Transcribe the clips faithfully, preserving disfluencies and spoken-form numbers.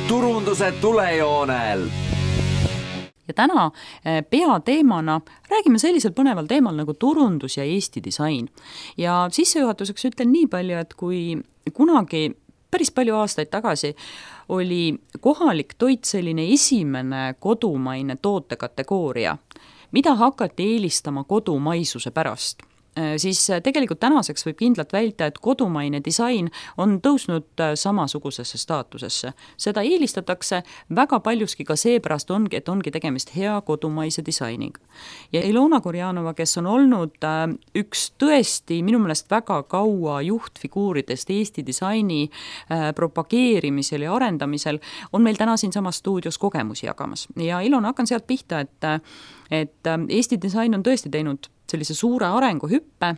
turunduse tulejoonel. Ja täna peateemana räägime sellisel põneval teemal nagu turundus ja Eesti disain. Ja sissejuhatuseks ütlen nii palju, et kui kunagi päris palju aastaid tagasi oli kohalik toit selline esimene kodumaine tootekategooria, mida hakati eelistama kodumaisuse pärast, siis tegelikult tänaseks võib kindlalt välja, et kodumaine disain on tõusnud samasugusesse staatusesse. Seda eelistatakse väga paljuski ka seepärast ongi, et ongi tegemist hea kodumaise disainiga. Ja Ilona Kurjanova, kes on olnud üks tõesti minu meelest väga kaua juhtfiguuridest Eesti disaini propageerimisel ja arendamisel, on meil täna siin samas stuudios kogemusi jagamas. Ja Ilona, hakkan sealt pihta, et, et Eesti disain on tõesti teinud sellise suure arenguhüppe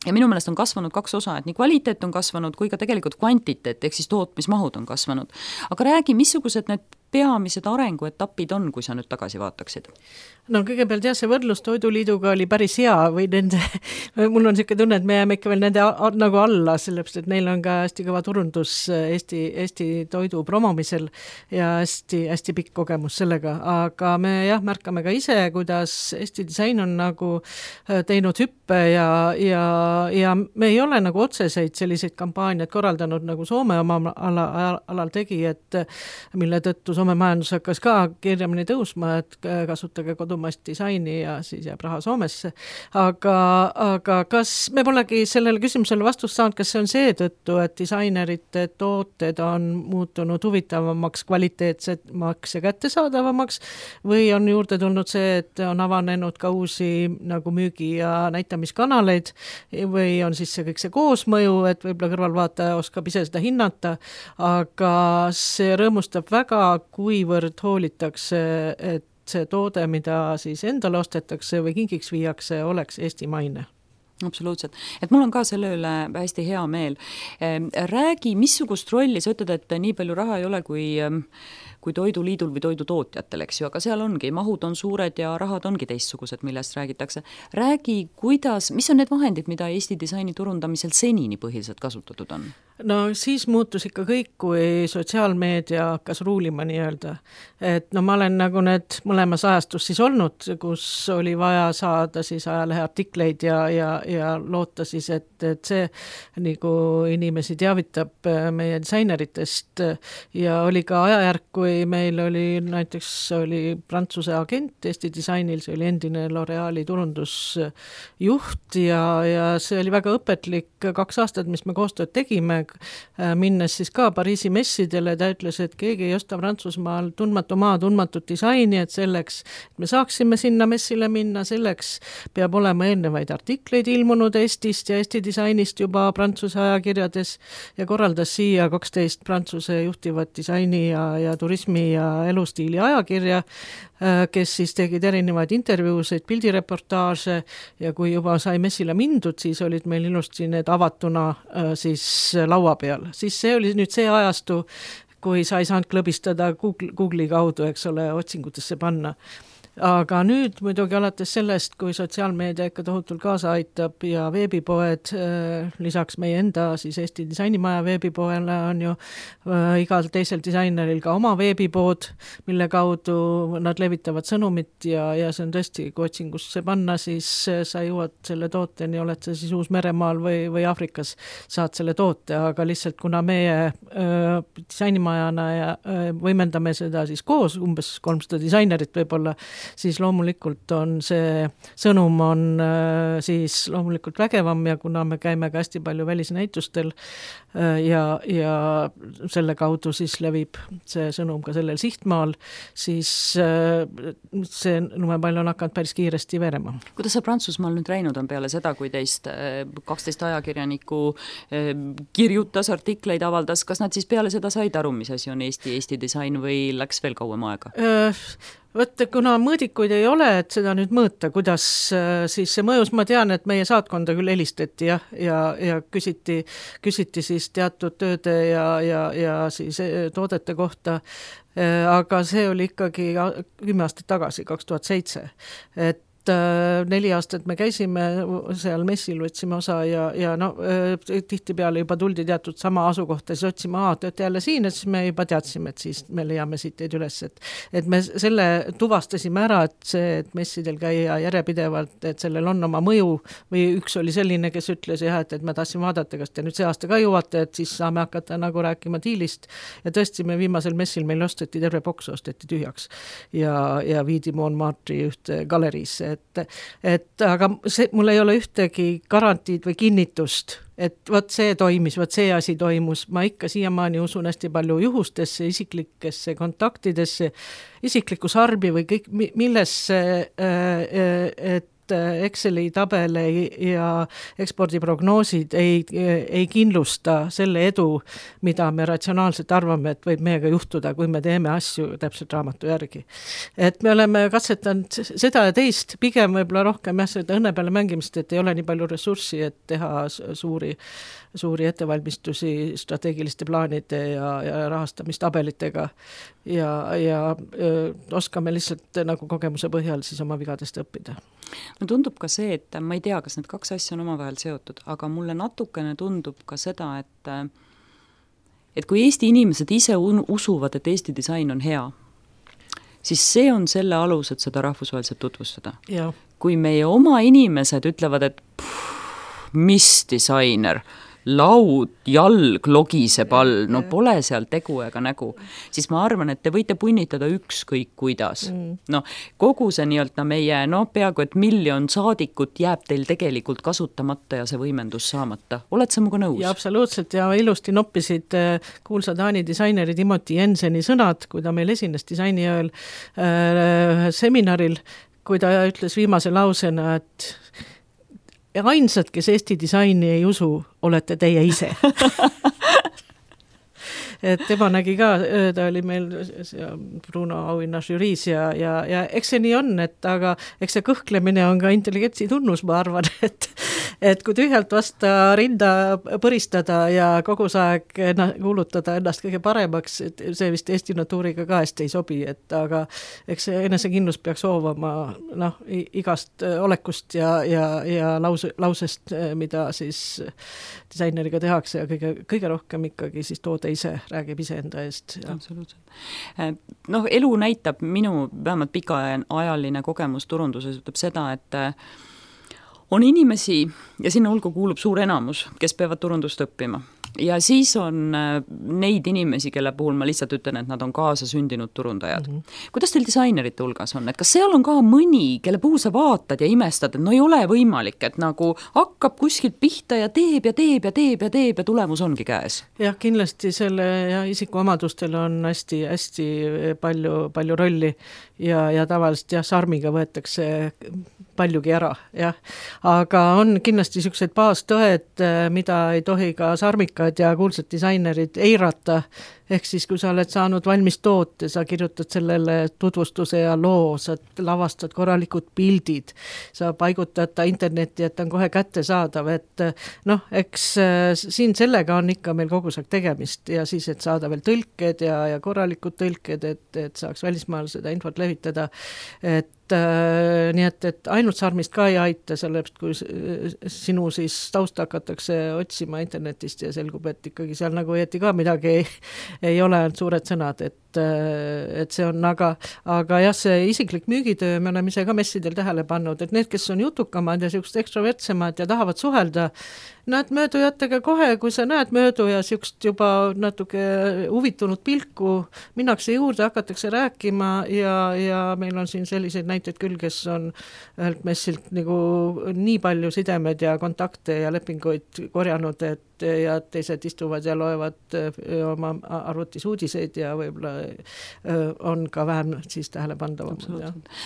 ja minu meelest on kasvanud kaks osa, et nii kvaliteet on kasvanud kui ka tegelikult kvantiteet, ehk siis tootmismahud on kasvanud. Aga räägi, missugused need peamised arenguetapid on, kui sa nüüd tagasi vaataksid? No kõigepealt jah, see võrdlus Toiduliiduga oli päris hea või nende, mul on selline tunne, et me jääme ikka veel nende a, nagu alla, sellepärast, et neil on ka hästi kõva turundus Eesti, Eesti toidu promomisel ja hästi, hästi pikk kogemus sellega, aga me jah, märkame ka ise, kuidas Eesti disain on nagu teinud hüppe ja, ja, ja me ei ole nagu otseseid selliseid kampaaniaid korraldanud, nagu Soome oma ala, alal tegi, et mille tõttu Soome majandus hakkas ka kirjamini tõusma, et kasutage kodumaist disaini ja siis jääb raha Soomesse. Aga, aga kas me polegi sellele küsimusele vastust saanud, kas see on seetõttu, et disainerite tooted on muutunud huvitavamaks, kvaliteetsemaks ja kättesaadavamaks või on juurde tulnud see, et on avanenud ka uusi nagu müügi- ja näitamiskanaleid või on siis see kõik see koosmõju, et võib-olla kõrvalvaataja oskab ise seda hinnata, aga see rõõmustab väga, kuivõrd hoolitakse, et see toode, mida siis endale ostetakse või kingiks viiakse, oleks eestimaine. Absoluutselt. Et mul on ka selle üle hästi hea meel. Räägi, missugust rolli, sa ütled, et nii palju raha ei ole kui, kui Toiduliidul või toidutootjatel, eks ju, aga seal ongi, mahud on suured ja rahad ongi teistsugused, millest räägitakse. Räägi, kuidas, mis on need vahendid, mida Eesti disaini turundamisel senini põhiliselt kasutatud on? No siis muutus ikka kõik, kui sotsiaalmeedia hakkas ruulima nii-öelda. Et no ma olen nagu need mõlemas ajastus siis olnud, kus oli vaja saada siis ajalehe artikleid ja, ja, ja loota siis, et, et see nagu inimesi teavitab meie disaineritest ja oli ka ajajärk, kui meil oli näiteks oli Prantsuse agent Eesti disainil, see oli endine L'Oreali turundusjuht ja, ja see oli väga õpetlik kaks aastat, mis me koostööd tegime, minnes siis ka Pariisi messidele, ta ütles, et keegi ei osta Prantsusmaal tundmatu maa, tundmatut disaini, et selleks, et me saaksime sinna messile minna, selleks peab olema eelnevaid artikleid ilmunud Eestist ja Eesti disainist juba Prantsuse ajakirjades ja korraldas siia kaksteist Prantsuse juhtivat disaini ja, ja turismi ja elustiili ajakirja, kes siis tegid erinevaid intervjuuseid, pildireportaaže ja kui juba sai messile mindud, siis olid meil ilusti need avatuna siis laua peal. Siis see oli nüüd see ajastu, kui sa ei saanud klõbistada Google, Google'i kaudu, eks ole, otsingutesse panna. Aga nüüd muidugi alates sellest, kui sotsiaalmeedia ikka tohutult kaasa aitab ja veebipoed, lisaks meie enda siis Eesti disainimaja veebipoele on ju igal teisel disaineril ka oma veebipood, mille kaudu nad levitavad sõnumit ja, ja see on tõesti, kui otsingusse panna, siis sa jõuad selle tooteni, oled sa siis Uus-Meremaal või, või Afrikas, saad selle toote, aga lihtsalt kuna meie öö, disainimajana ja öö, võimendame seda siis koos, umbes kolmsada disainerit võib-olla, siis loomulikult on see sõnum on äh, siis loomulikult vägevam ja kuna me käime ka hästi palju välisnäitustel äh, ja, ja selle kaudu siis levib see sõnum ka sellel sihtmaal, siis äh, see numepall on hakanud päris kiiresti verema. Kuidas sa Prantsusmaal nüüd läinud on peale seda, kui teist kaksteist ajakirjaniku äh, kirjutas, artikleid avaldas, kas nad siis peale seda said aru, mis asi on Eesti, Eesti disain või läks veel kauem aega? Äh, Võt, kuna mõõdikuid ei ole, et seda nüüd mõõta, kuidas siis see mõjus, ma tean, et meie saatkonda küll helistati ja, ja, ja küsiti, küsiti siis teatud tööde ja, ja, ja siis toodete kohta, aga see oli ikkagi kümme aastat tagasi, kaks tuhat seitse, et neli aastat me käisime seal messil, võtsime osa ja, ja no tihtipeale juba tuldi teatud sama asukohta, siis otsime, aa, te olete jälle siin, et siis me juba teadsime, et siis me leiame siit teid üles, et, et me selle tuvastasime ära, et see, et messidel käia järjepidevalt, et sellel on oma mõju või üks oli selline, kes ütles jah, et, et ma tahtsin vaadata, kas te nüüd see aasta ka jõuate, et siis saame hakata nagu rääkima diilist ja tõesti me viimasel messil meil osteti terve boks, osteti tühjaks ja, ja viidi Montmartre'i ühte galeriisse, et, et aga see, mul ei ole ühtegi garantiid või kinnitust, et vot see toimis, vot see asi toimus, ma ikka siiamaani usun hästi palju juhustesse, isiklikesse kontaktidesse, isiklikku sarbi või kõik, millesse, et Exceli tabele ja ekspordiprognoosid ei, ei kindlusta selle edu, mida me ratsionaalselt arvame, et võib meiega juhtuda, kui me teeme asju täpselt raamatu järgi. Et me oleme katsetanud seda ja teist, pigem võib-olla rohkem jah, seda õnne peale mängimist, et ei ole nii palju ressurssi, et teha suuri suuri ettevalmistusi strateegiliste plaanide ja, ja rahastamistabelitega ja, ja öö, oskame lihtsalt nagu kogemuse põhjal siis oma vigadest õppida. No tundub ka see, et ma ei tea, kas need kaks asja on omavahel seotud, aga mulle natukene tundub ka seda, et et kui Eesti inimesed ise un- usuvad, et Eesti disain on hea, siis see on selle alus, et seda rahvusvaheliselt tutvustada. Ja. Kui meie oma inimesed ütlevad, et pff, mis disainer, laud, jalg, logiseb all, no pole seal tegu ega nägu, siis ma arvan, et te võite punnitada ükskõik kuidas. Mm. No, kogu see nii-öelda meie, no peaaegu et miljon saadikut jääb teil tegelikult kasutamata ja see võimendus saamata. Oled sa muga nõus? Ja absoluutselt, ja ilusti noppisid kuulsa Taani disaineri Timothy Jenseni sõnad, kui ta meil esines disainiööl äh, seminaril, kui ta ütles viimase lausena, et ja ainsad, kes Eesti disaini ei usu, olete teie ise. Et tema nägi ka, ta oli meil Bruno auhinna žüriis ja, ja, ja eks see nii on, et aga eks see kõhklemine on ka intelligentsi tunnus, ma arvan, et, et kui tühjalt vasta rinda põristada ja kogu aeg kuulutada ennast kõige paremaks, et see vist Eesti natuuriga ka hästi ei sobi, et aga eks see enesekindlus peaks hoovama noh, igast olekust ja, ja, ja lause, lausest, mida siis disaineriga tehakse ja kõige, kõige rohkem ikkagi siis toode ise räägib ise enda eest. Absoluutselt. Noh, elu näitab, minu vähemalt pikaajaline kogemus turunduses ütleb seda, et on inimesi, ja sinna hulka kuulub suur enamus, kes peavad turundust õppima. Ja siis on neid inimesi, kelle puhul ma lihtsalt ütlen, et nad on kaasa sündinud turundajad. Mm -hmm. Kuidas teil disainerite hulgas on? Et kas seal on ka mõni, kelle puhul sa vaatad ja imestad, et no ei ole võimalik, et nagu hakkab kuskilt pihta ja teeb ja teeb ja teeb ja teeb ja tulemus ongi käes? Jah, kindlasti selle ja isikuomadustel on hästi, hästi palju, palju rolli ja, ja tavaliselt jah, sarmiga võetakse paljugi ära, jah. Aga on kindlasti niisugused baastõed, mida ei tohi ka sarmikad ja kuulsad disainerid eirata, ehk siis kui sa oled saanud valmis toote, sa kirjutad sellele tutvustuse ja loo, sa lavastad korralikud pildid, sa paigutad ta internetti, et ta on kohe kättesaadav, et noh, eks siin sellega on ikka meil kogu aeg tegemist ja siis, et saada veel tõlked ja, ja korralikud tõlked, et, et saaks välismaal seda infot levitada, et Äh, nii et, et ainult sarmist ka ei aita, sellepärast kui sinu siis tausta hakatakse otsima internetist ja selgub, et ikkagi seal nagu õieti ka midagi ei, ei ole suured sõnad, et, et see on, aga, aga jah, see isiklik müügitöö, me oleme ise ka messidel tähele pannud, et need, kes on jutukamad ja siuksed ekstrovertsemad ja tahavad suhelda, nad möödujatega kohe, kui sa näed möödu ja siukest juba natuke huvitunud pilku, minnakse juurde, hakatakse rääkima ja, ja meil on siin selliseid näiteid küll, kes on ühelt messilt nagu nii palju sidemed ja kontakte ja lepinguid korjanud, et ja teised istuvad ja loevad oma arvutis uudiseid ja võib-olla on ka vähem siis tähelepandavam.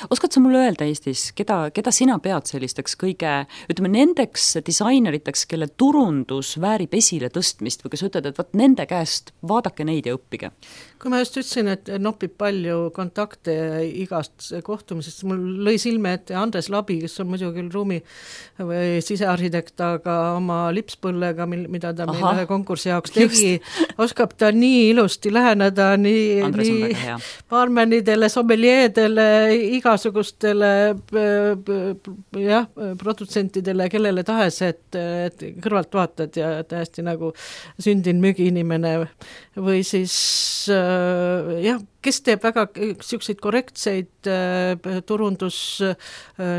Oskad sa mulle öelda Eestis, keda, keda sina pead sellisteks kõige, ütleme nendeks disaineriteks, kelle turundus väärib esile tõstmist või kes ütled, et võt nende käest vaadake neid ja õppige? Kui ma just ütlesin, et nopib palju kontakte igast kohtumisest, mul lõi silme ette Andres Labi, kes on muidu küll ruumi või sisearhitekt, aga oma lipspõllega, mida ta meil ühe konkursi jaoks tegi, oskab ta nii ilusti läheneda, nii Andres on väga hea. barmenidele, sommeljeedele, igasugustele jah, produtsentidele, kellele tahes, et, et kõrvalt vaatad ja täiesti nagu sündin müügiinimene või siis jah, kes teeb väga selliseid korrektseid äh, turundus äh,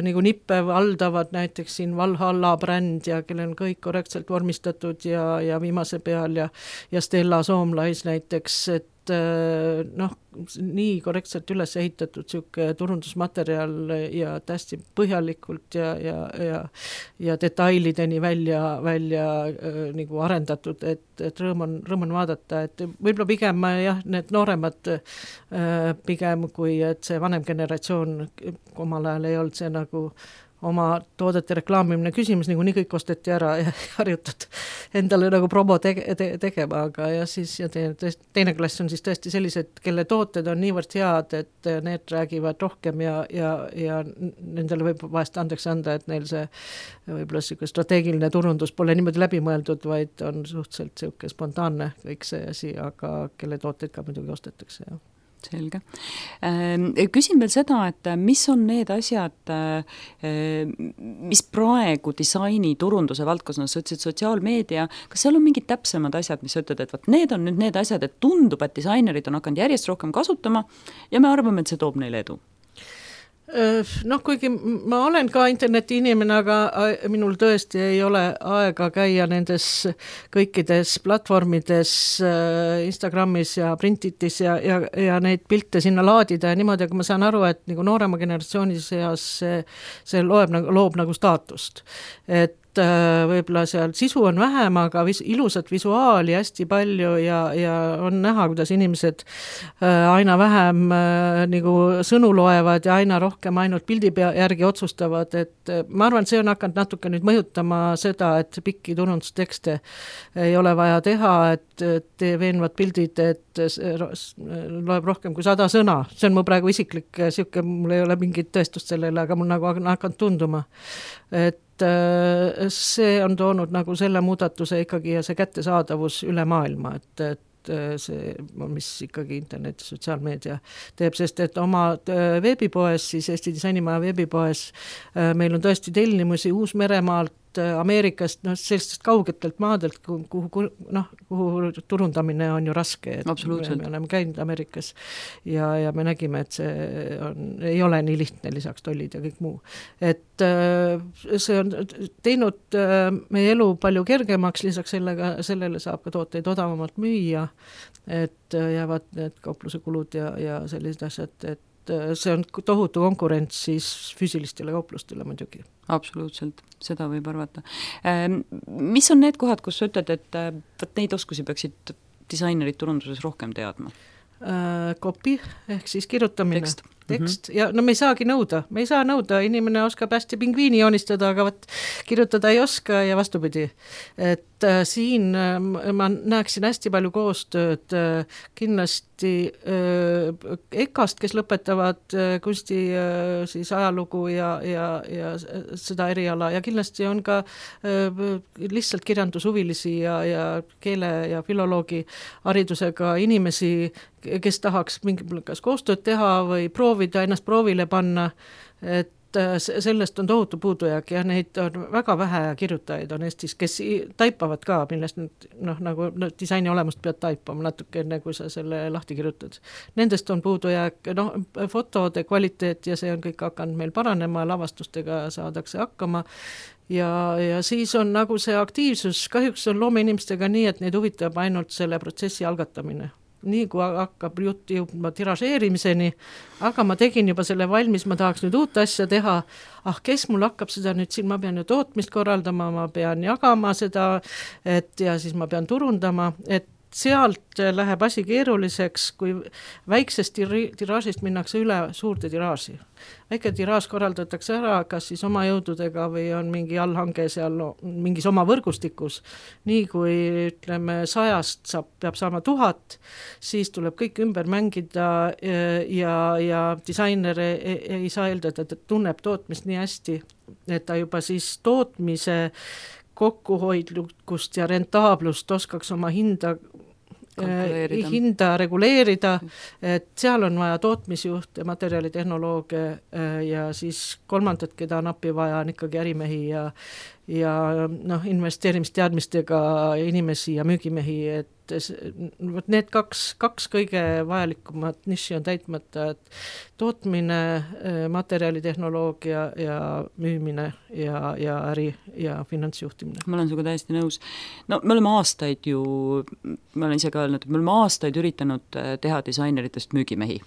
nagu nippe valdavad, näiteks siin Valhalla bränd ja kellel on kõik korrektselt vormistatud ja, ja viimase peal ja, ja Stella Soomlais näiteks, et äh, noh, nii korrektselt üles ehitatud siuke turundusmaterjal ja tästi põhjalikult ja, ja, ja, ja detailideni välja, välja äh, nagu arendatud, et, et rõõm on, rõõm on vaadata, et võib-olla pigem jah, need nooremad äh, pigem kui, et see vanem generatsioon omal ajal ei olnud see nagu oma toodete reklaamimine küsimus, nagu nii kõik osteti ära ja harjutud endale nagu promo tege, te, tegema, aga ja siis ja teine, teine klass on siis tõesti sellised, kelle tooted on niivõrd head, et need räägivad rohkem ja, ja, ja nendele võib vahest andeks anda, et neil see võib-olla siuke strateegiline turundus pole niimoodi läbi mõeldud, vaid on suhteliselt siuke spontaanne kõik see asi, aga kelle tooteid ka muidugi ostetakse, jah. Selge. Küsin veel seda, et mis on need asjad, mis praegu disaini turunduse valdkonnas, sa ütlesid sotsiaalmeedia, kas seal on mingid täpsemad asjad, mis ütled, et võt, need on nüüd need asjad, et tundub, et disainerid on hakanud järjest rohkem kasutama ja me arvame, et see toob neile edu? Noh, kuigi ma olen ka interneti inimene, aga minul tõesti ei ole aega käia nendes kõikides platvormides, Instagramis ja Printitis ja, ja, ja neid pilte sinna laadida ja niimoodi, aga ma saan aru, et nagu noorema generatsiooni seas see, see loeb, loob nagu staatust. Et võib-olla seal sisu on vähem, aga vis, ilusat visuaali hästi palju ja, ja on näha, kuidas inimesed aina vähem nagu sõnu loevad ja aina rohkem ainult pildi pea järgi otsustavad, et ma arvan, see on hakanud natuke nüüd mõjutama seda, et pikki turundustekste ei ole vaja teha, et tee veenvad pildid, et loeb rohkem kui sada sõna. See on mu praegu isiklik siuke, mul ei ole mingit tõestust sellele, aga mul nagu hakanud tunduma, et see on toonud nagu selle muudatuse ikkagi ja see kättesaadavus üle maailma, et, et see, mis ikkagi internet ja sotsiaalmeedia teeb, sest et oma veebipoes, siis Eesti Disainimaja veebipoes meil on tõesti tellimusi Uus-Meremaalt, Ameerikast, noh, sellistest kaugetelt maadelt, kuhu, kuhu, noh, kuhu turundamine on ju raske. Me, me oleme käinud Ameerikas ja, ja me nägime, et see on, ei ole nii lihtne lisaks tollid ja kõik muu. Et see on teinud meie elu palju kergemaks, lisaks sellega, sellele saab ka tooteid odavamalt müüa, et jäävad need kaupluse kulud ja, ja sellised asjad, et see on tohutu konkurents siis füüsilistele kauplustele muidugi. Absoluutselt, seda võib arvata. Mis on need kohad, kus sa ütled, et neid oskusi peaksid disainerid turunduses rohkem teadma? Copy, ehk siis kirjutamine. Tekst. tekst mm-hmm. ja no me ei saagi nõuda, me ei saa nõuda, inimene oskab hästi pingviini joonistada, aga võt, kirjutada ei oska ja vastupidi. Et äh, siin äh, ma näeksin hästi palju koostööd, äh, kindlasti äh, EKA-st, kes lõpetavad äh, kunsti äh, siis ajalugu ja, ja, ja seda eriala ja kindlasti on ka äh, lihtsalt kirjandushuvilisi ja, ja keele ja filoloogi haridusega inimesi, kes tahaks mingi kas koostööd teha või proovida ennast proovile panna, et sellest on tohutu puudujääk ja neid on väga vähe kirjutajaid on Eestis, kes taipavad ka, millest nüüd, noh, nagu no, disaini olemust pead taipama natuke enne, kui sa selle lahti kirjutad. Nendest on puudujääk, noh, fotode kvaliteet ja see on kõik hakanud meil paranema, lavastustega saadakse hakkama ja, ja siis on nagu see aktiivsus, kahjuks on loomeinimestega nii, et neid huvitab ainult selle protsessi algatamine. Nii kui hakkab jutt jõudma tiražeerimiseni, aga ma tegin juba selle valmis, ma tahaks nüüd uut asja teha, ah, kes mul hakkab seda nüüd siin, ma pean ju tootmist korraldama, ma pean jagama seda, et ja siis ma pean turundama, et sealt läheb asi keeruliseks, kui väiksest tiraažist minnakse üle suurde tiraaži. Väike tiraaž korraldatakse ära, kas siis oma jõududega või on mingi allhange seal no, mingis oma võrgustikus. Nii kui ütleme sajast saab, peab saama tuhat, siis tuleb kõik ümber mängida ja, ja disainer ei, ei saa eeldada, et tunneb tootmist nii hästi, et ta juba siis tootmise kokkuhoidlukust ja rentaablust oskaks oma hinda kalkuleerida. hinda reguleerida, et seal on vaja tootmisjuhte, materjalitehnolooge ja siis kolmandat, keda on appi vaja, on ikkagi ärimehi ja ja noh, investeerimisteadmistega inimesi ja müügimehi, et võt need kaks, kaks kõige vajalikumat niši on täitmata, et tootmine, materjalitehnoloogia ja müümine ja, ja äri ja finantsjuhtimine. Ma olen sinuga täiesti nõus. No me oleme aastaid ju, ma olen ise ka öelnud, et me oleme aastaid üritanud teha disaineritest müügimehi.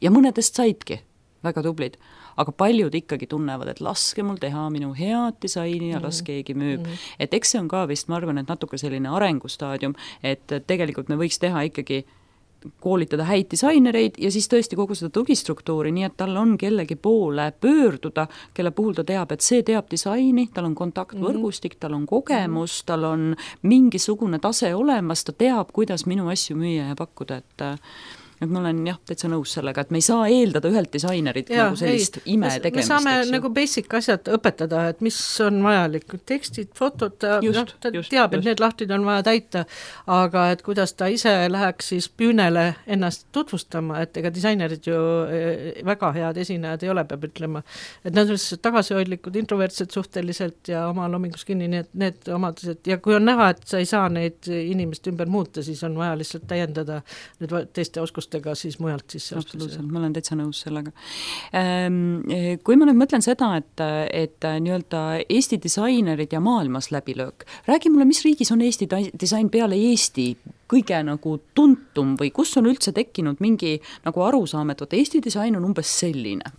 Ja mõnedest saidki, väga tublid. Aga paljud ikkagi tunnevad, et laske mul teha minu head disaini ja las keegi müüb. Mm -hmm. Et eks see on ka vist, ma arvan, et natuke selline arengustaadium, et tegelikult me võiks teha ikkagi koolitada häid disainereid ja siis tõesti kogu seda tugistruktuuri, nii et tal on kellegi poole pöörduda, kelle puhul ta teab, et see teab disaini, tal on kontaktvõrgustik, tal on kogemus, tal on mingisugune tase olemas, ta teab, kuidas minu asju müüa ja pakkuda, et et ma olen jah, täitsa nõus sellega, et me ei saa eeldada ühelt disainerit ja, nagu sellist ei, ime tegemist. Me saame nagu basic asjad õpetada, et mis on vajalik, tekstid, fotod, ta, just, no, ta just, teab, et just. Need lahtid on vaja täita, aga et kuidas ta ise läheks siis püünele ennast tutvustama, et ega disainerid ju väga head esinejad ei ole, peab ütlema, et nad on tagasihoidlikud, introvertsed suhteliselt ja oma loomingus kinni, nii et need omadused, ja kui on näha, et sa ei saa neid inimest ümber muuta, siis on vaja lihtsalt täiendada need teiste oskust ega siis mujalt sisse. Absoluutselt, ma olen täitsa nõus sellega. Kui ma nüüd mõtlen seda, et, et nii-öelda Eesti disainerid ja maailmas läbilöök, räägi mulle, mis riigis on Eesti disain peale Eesti kõige nagu tuntum või kus on üldse tekkinud mingi nagu arusaam, et võt, Eesti disain on umbes selline?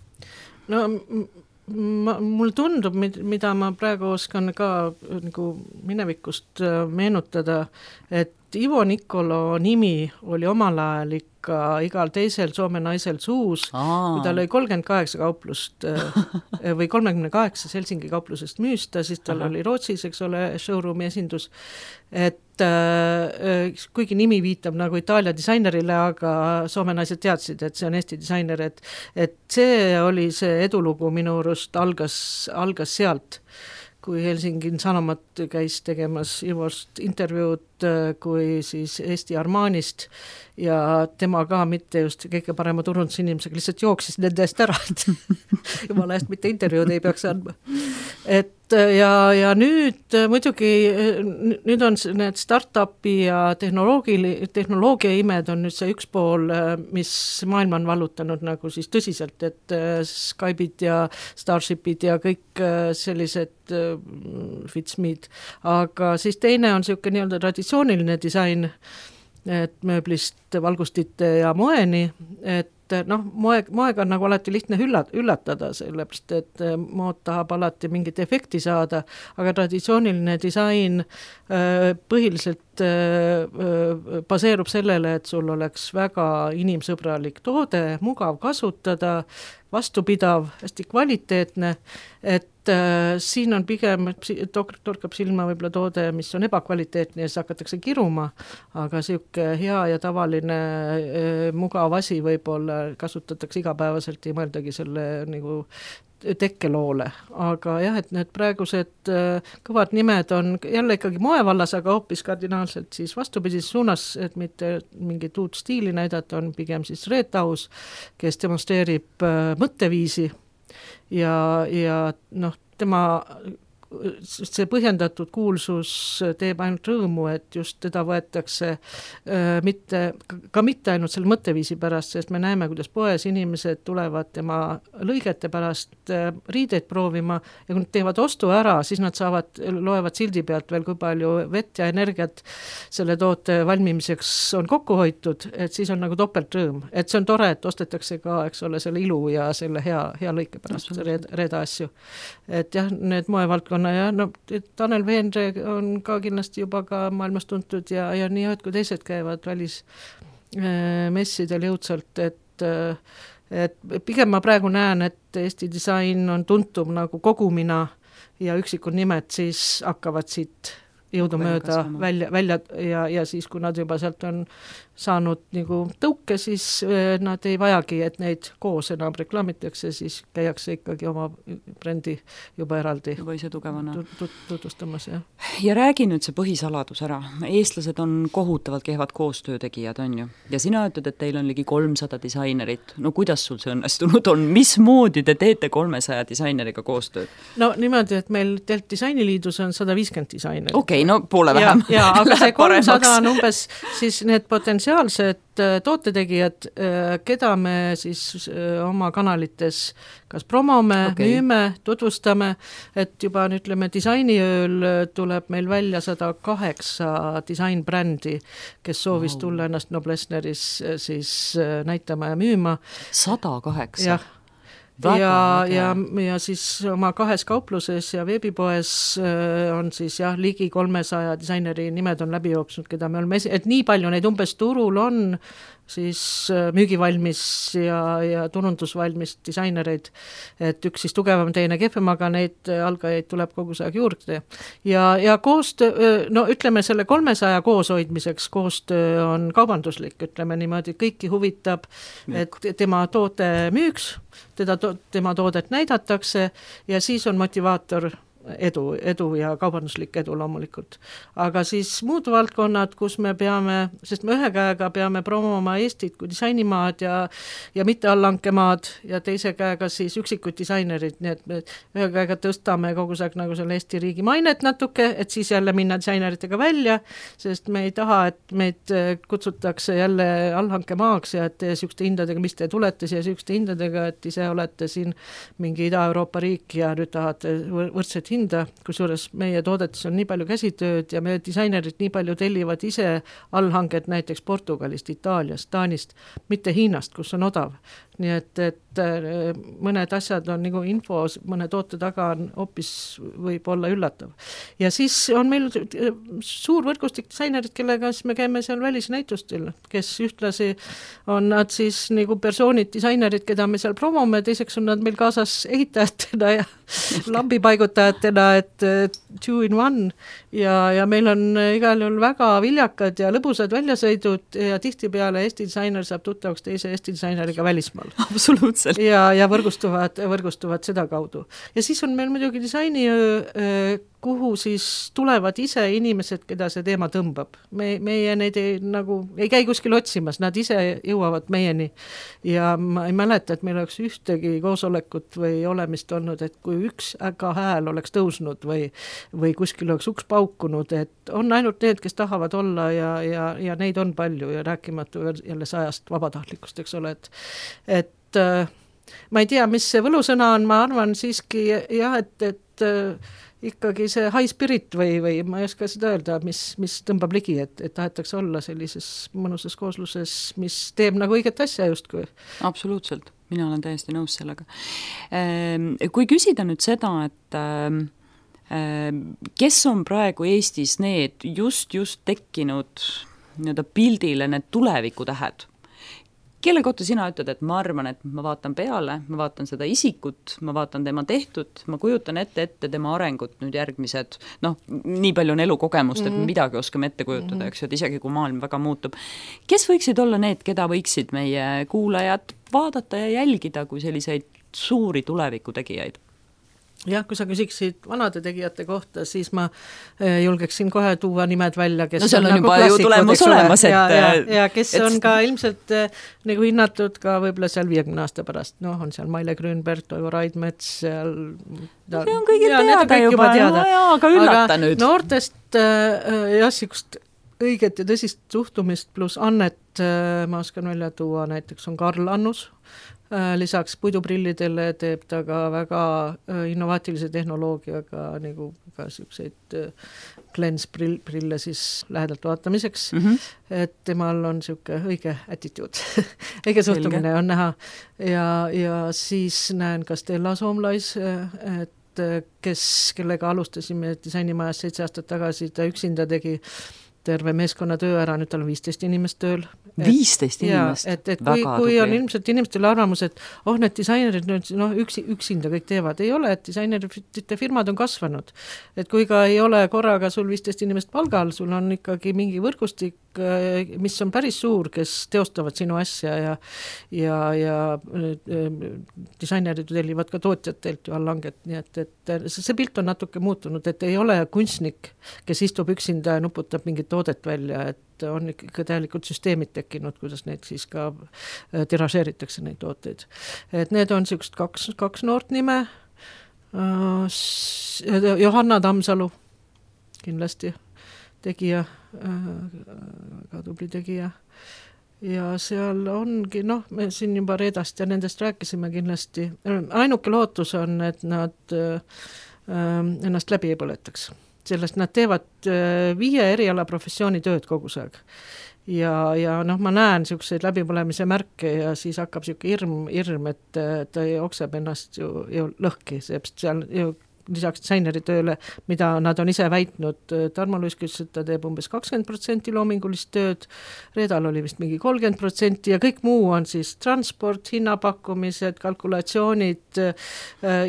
No ma, mul tundub, mida ma praegu oskan ka nagu minevikust meenutada, et Ivo Nikolo nimi oli omal ajal ikka igal teisel Soome naisel suus, Aa. kui tal oli kolmkümmend kaheksa kauplust või kolmekümne kaheksa Helsingi kauplusest müüsta, siis tal Aha. oli Rootsis, eks ole, showroomi esindus, et äh, kuigi nimi viitab nagu Itaalia disainerile, aga Soome naised teadsid, et see on Eesti disainer, et, et see oli see edulugu minu arust algas, algas sealt, kui Helsingin Sanomat käis tegemas Ivost intervjuud kui siis Eesti Armanist ja tema ka mitte just kõige parema turundusinimesega lihtsalt jooksis nende eest ära, et jumala eest mitte intervjuud ei peaks andma. Et ja, ja nüüd muidugi nüüd on need startupi ja tehnoloogi, tehnoloogia imed on nüüd see üks pool, mis maailma on vallutanud nagu siis tõsiselt, et Skype'id ja Starshipid ja kõik sellised Fitsme'd, aga siis teine on siuke nii-öelda traditsiooniline disain, et mööblist valgustite ja moeni, et noh, moe, moega on nagu alati lihtne üllat, üllatada, sellepärast, et mood tahab alati mingit efekti saada, aga traditsiooniline disain põhiliselt baseerub sellele, et sul oleks väga inimsõbralik toode, mugav kasutada, vastupidav, hästi kvaliteetne, et äh, siin on pigem, torkab silma võib-olla toode, mis on ebakvaliteetne ja siis hakatakse kiruma, aga siuke hea ja tavaline äh, mugav asi võib-olla kasutatakse igapäevaselt, ei mõeldagi selle nagu tekkeloole, aga jah, et need praegused äh, kõvad nimed on jälle ikkagi moevallas, aga hoopis kardinaalselt siis vastupidises suunas, et mitte mingit uut stiili näidata, on pigem siis Reet Aus, kes demonstreerib äh, mõtteviisi ja, ja noh, tema see põhjendatud kuulsus teeb ainult rõõmu, et just teda võetakse äh, mitte, ka mitte ainult selle mõtteviisi pärast, sest me näeme, kuidas poes inimesed tulevad tema lõigete pärast äh, riideid proovima ja kui nad teevad ostu ära, siis nad saavad, loevad sildi pealt veel, kui palju vett ja energiat selle toote valmimiseks on kokku hoitud, et siis on nagu topelt rõõm. Et see on tore, et ostetakse ka, eks ole, selle ilu ja selle hea, hea lõike pärast reeda, reeda asju. Et jah, need moevaldkonna ja no, Tanel Veenre on ka kindlasti juba ka maailmas tuntud ja, ja nii ühed kui teised käivad välis äh, messidel jõudsalt, et, et pigem ma praegu näen, et Eesti disain on tuntum nagu kogumina ja üksikud nimed siis hakkavad siit jõudumööda välja, välja ja, ja siis, kui nad juba sealt on saanud nagu tõuke, siis nad ei vajagi, et neid koos enam reklaamitakse, siis käiakse ikkagi oma brändi juba eraldi juba ise tugevana tutvustamas. Ja. ja räägi nüüd see põhisaladus ära. Eestlased on kohutavalt kehvad koostöötegijad, on ju? Ja sina ütled, et teil on ligi kolmsada disainerit. No kuidas sul see õnnestunud on? Mismoodi te teete kolmesaja disaineriga koostööd? No niimoodi, et meil Telt Disainiliidus on sada viiskümmend disainerit. Okei, okay, no poole vähem. Ja, ja aga see kolmsada on umbes siis need potentsiaalsed tootetegijad, keda me siis oma kanalites kas promome, okay. müüme, tutvustame, et juba ütleme disainiööl tuleb meil välja sada kaheksa disainbrändi, kes soovis wow. tulla ennast Noblessneris siis näitama ja müüma. sada kaheksa? Jah. ja, ja, ja siis oma kahes kaupluses ja veebipoes on siis jah, ligi kolmesaja disaineri nimed on läbi jooksnud, keda me oleme, et nii palju neid umbes turul on siis müügivalmis ja, ja turundusvalmis disainereid, et üks siis tugevam, teine kehvem, aga neid algajaid tuleb kogu aeg juurde. Ja, ja koostöö, no ütleme selle kolmesaja kooshoidmiseks koostöö on kaubanduslik, ütleme niimoodi, kõiki huvitab, et tema toote müüks, teda, tema toodet näidatakse ja siis on motivaator edu, edu ja kaubanduslik edu loomulikult. Aga siis muud valdkonnad, kus me peame, sest me ühe käega peame promoma Eestit kui disainimaad ja, ja mitte allankemaad ja teise käega siis üksikud disainerid, nii et me ühe käega tõstame kogu aeg nagu selle Eesti riigi mainet natuke, et siis jälle minna disaineritega välja, sest me ei taha, et meid kutsutakse jälle allhankemaaks ja et te sükste hindadega, mis te tulete siia sükste hindadega, et ise olete siin mingi Ida-Euroopa riik ja nüüd tahate võrdset hinda, kusjuures meie toodetes on nii palju käsitööd ja meie disainerid nii palju tellivad ise allhanged näiteks Portugalist, Itaaliast, Taanist, mitte Hiinast, kus on odav. Nii et, et mõned asjad on nagu info, mõne toote taga on hoopis võib olla üllatav. Ja siis on meil suur võrgustik disainerid, kellega siis me käime seal välisnäitustel, kes ühtlasi on nad siis nagu persoonid, disainerid, keda me seal promome, teiseks on nad meil kaasas ehitajatena ja lambipaigutajatena, et two in one ja, ja meil on igal juhul väga viljakad ja lõbusad väljasõidud ja tihtipeale Eesti disainer saab tuttavaks teise Eesti disaineriga välismaal. Absoluutselt. Ja, ja võrgustuvad, võrgustuvad seda kaudu. Ja siis on meil muidugi disainiöö, kuhu siis tulevad ise inimesed, keda see teema tõmbab. Me, meie neid ei, nagu, ei käi kuskil otsimas, nad ise jõuavad meieni. Ja ma ei mäleta, et meil oleks ühtegi koosolekut või olemist olnud, et kui üks äga hääl oleks tõusnud või, või kuskil oleks uks paukunud, et on ainult need, kes tahavad olla ja, ja, ja neid on palju ja rääkimatu jälle sajast vabatahtlikust, eks ole, et, et äh, ma ei tea, mis see võlusõna on, ma arvan siiski jah, et, et äh, ikkagi see high spirit või, või ma ei oska seda öelda, mis, mis tõmbab ligi, et, et tahetakse olla sellises mõnusas koosluses, mis teeb nagu õiget asja justkui. Absoluutselt, mina olen täiesti nõus sellega. Kui küsida nüüd seda, et kes on praegu Eestis need just, just tekkinud nii-öelda pildile need tulevikutähed, kelle kohta sina ütled, et ma arvan, et ma vaatan peale, ma vaatan seda isikut, ma vaatan tema tehtud, ma kujutan ette ette tema arengut nüüd järgmised, noh, nii palju on elukogemust, et midagi oskame ette kujutada, eks ju, et isegi kui maailm väga muutub. Kes võiksid olla need, keda võiksid meie kuulajad vaadata ja jälgida kui selliseid suuri tulevikutegijaid? Jah, kui sa küsiksid vanade tegijate kohta, siis ma julgeksin kohe tuua nimed välja, kes no seal on, on juba nagu ju tulemus olemas, et ja, ja, ja kes et... on ka ilmselt nagu hinnatud ka võib-olla seal viiekümne aasta pärast, noh, on seal Maile Grünberg, Toivo Raidmets, seal no, see on kõigil ja, teada juba, juba teada. No, jaa, aga üllata aga nüüd. Noortest jah, sikust õiget ja tõsist suhtumist pluss annet ma oskan välja tuua, näiteks on Karl Annus, lisaks puiduprillidele teeb ta ka väga innovaatilise tehnoloogiaga nagu ka selliseid glensprille siis lähedalt vaatamiseks, mm-hmm. et temal on siuke õige attitude, õige suhtumine on näha ja, ja siis näen ka Stella Soomlais, et kes, kellega alustasime disainimajas seitse aastat tagasi, ta üksinda tegi terve meeskonna töö ära, nüüd tal on viisteist inimest tööl. viisteist inimest? Et, et kui, kui on ilmselt inimestel arvamus, et oh, need disainerid nüüd no, üksi, üksinda kõik teevad, ei ole, et disainerite firmad on kasvanud. Et kui ka ei ole korraga sul viisteist inimest palgal, sul on ikkagi mingi võrgustik mis on päris suur, kes teostavad sinu asja ja ja, ja disainerid tellivad ka tootjatelt ju allhanget, nii et, et see pilt on natuke muutunud, et ei ole kunstnik, kes istub üksinda ja nuputab mingit toodet välja, et on ikka täielikult süsteemid tekkinud, kuidas neid siis ka tiražeeritakse neid tooteid. Et need on niisugust kaks, kaks noort nime, Johanna Tammsalu kindlasti tegija, ka tubli tegija. Ja seal ongi, noh, me siin juba Reedast ja nendest rääkisime kindlasti. Ainuke lootus on, et nad ennast läbi ei põletaks. Sellest nad teevad viie eriala professiooni tööd kogu aeg. Ja, ja noh, ma näen niisuguseid läbipõlemise märke ja siis hakkab niisugune hirm, hirm, et ta okseb ennast ju, ju lõhki, seepärast seal ju lisaks disaineri tööle, mida nad on ise väitnud, Tarmo Luisk ütles, et ta teeb umbes kakskümmend protsenti loomingulist tööd, Reedal oli vist mingi kolmkümmend protsenti ja kõik muu on siis transport, hinnapakkumised, kalkulatsioonid,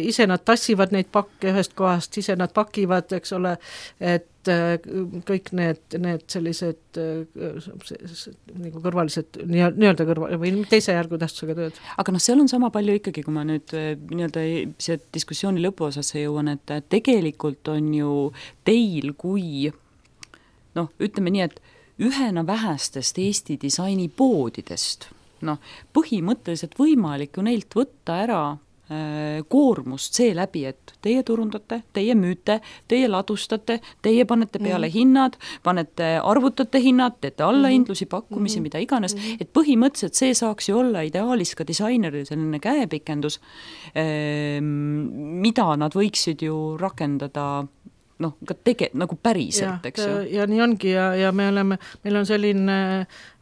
ise nad tassivad neid pakke ühest kohast, ise nad pakivad, eks ole, et kõik need, need sellised nagu kõrvalised, nii-öelda kõrval, või teise järgu tähtsusega tööd. Aga noh, seal on sama palju ikkagi, kui ma nüüd nii-öelda see diskussiooni lõpuosasse jõuan, et tegelikult on ju teil kui, noh, ütleme nii, et ühena vähestest Eesti disainipoodidest, noh, põhimõtteliselt võimalik ju neilt võtta ära koormust see läbi, et teie turundate, teie müüte, teie ladustate, teie panete peale mm. hinnad, panete, arvutate hinnad, teete allahindlusi, pakkumisi, mm. mida iganes, mm. et põhimõtteliselt see saaks ju olla ideaalis ka disaineril selline käepikendus, mida nad võiksid ju rakendada noh, ka tege-, nagu päriselt, ja, eks ju. Ja nii ongi ja, ja me oleme, meil on selline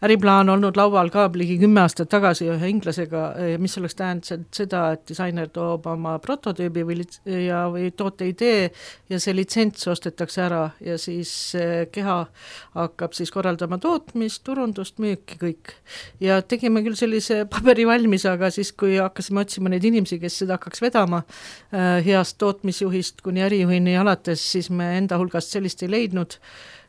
äriplaan olnud laual ka ligi kümme aastat tagasi ühe inglasega, mis oleks tähendanud seda, et disainer toob oma prototüübi või, ja, või toote idee ja see litsents ostetakse ära ja siis keha hakkab siis korraldama tootmist, turundust, müüki, kõik. Ja tegime küll sellise paberi valmis, aga siis kui hakkasime otsima neid inimesi, kes seda hakkaks vedama heast tootmisjuhist kuni ärijuhini alates, siis me enda hulgast sellist ei leidnud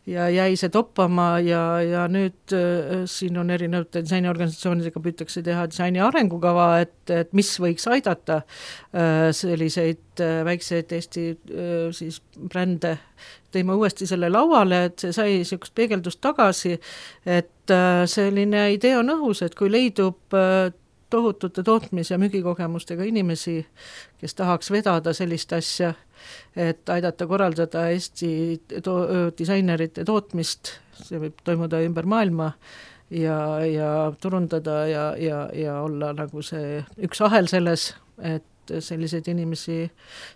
ja jäi see toppama ja, ja nüüd äh, siin on erinevate disainiorganisatsioonidega püütakse teha disaini arengukava, et, et mis võiks aidata äh, selliseid äh, väikseid Eesti äh, siis brände. Tõime uuesti selle lauale, et see sai niisugust peegeldust tagasi, et äh, selline idee on õhus, et kui leidub äh, tohutute tootmis- ja müügikogemustega inimesi, kes tahaks vedada sellist asja, et aidata korraldada Eesti to- disainerite tootmist, see võib toimuda ümber maailma ja, ja turundada ja, ja, ja olla nagu see üks ahel selles, et selliseid inimesi,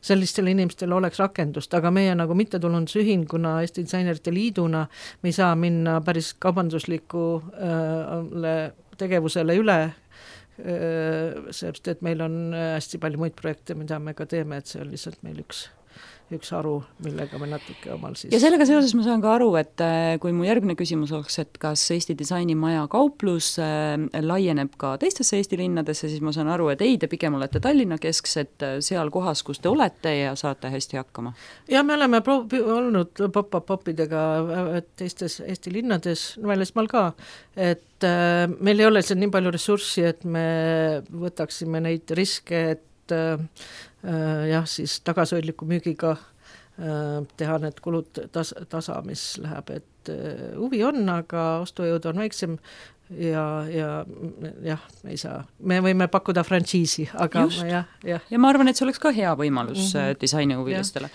sellistele inimestele oleks rakendust, aga meie nagu mittetulundusühinguna Eesti Disainerite Liiduna me ei saa minna päris kaubandusliku äh, tegevusele üle, seepärast, et meil on hästi palju muid projekte, mida me ka teeme, et see on lihtsalt meil üks üks aru, millega me natuke omal siis... Ja sellega seoses ma saan ka aru, et kui mu järgmine küsimus oleks, et kas Eesti disainimaja kauplus laieneb ka teistesse Eesti linnadesse, siis ma saan aru, et ei, te pigem olete Tallinna kesksed seal kohas, kus te olete ja saate hästi hakkama. Ja me oleme pro- olnud pop-up-popidega teistes Eesti linnades, välismaal ka, et meil ei ole seal nii palju ressurssi, et me võtaksime neid riske, et jah, siis tagasihoidliku müügiga teha need kulud tas- tasa, mis läheb, et huvi on, aga ostujõud on väiksem ja, ja jah, ei saa. Me võime pakkuda frantsiisi, aga Just. jah, jah. Ja ma arvan, et see oleks ka hea võimalus mm-hmm. disainihuvilistele.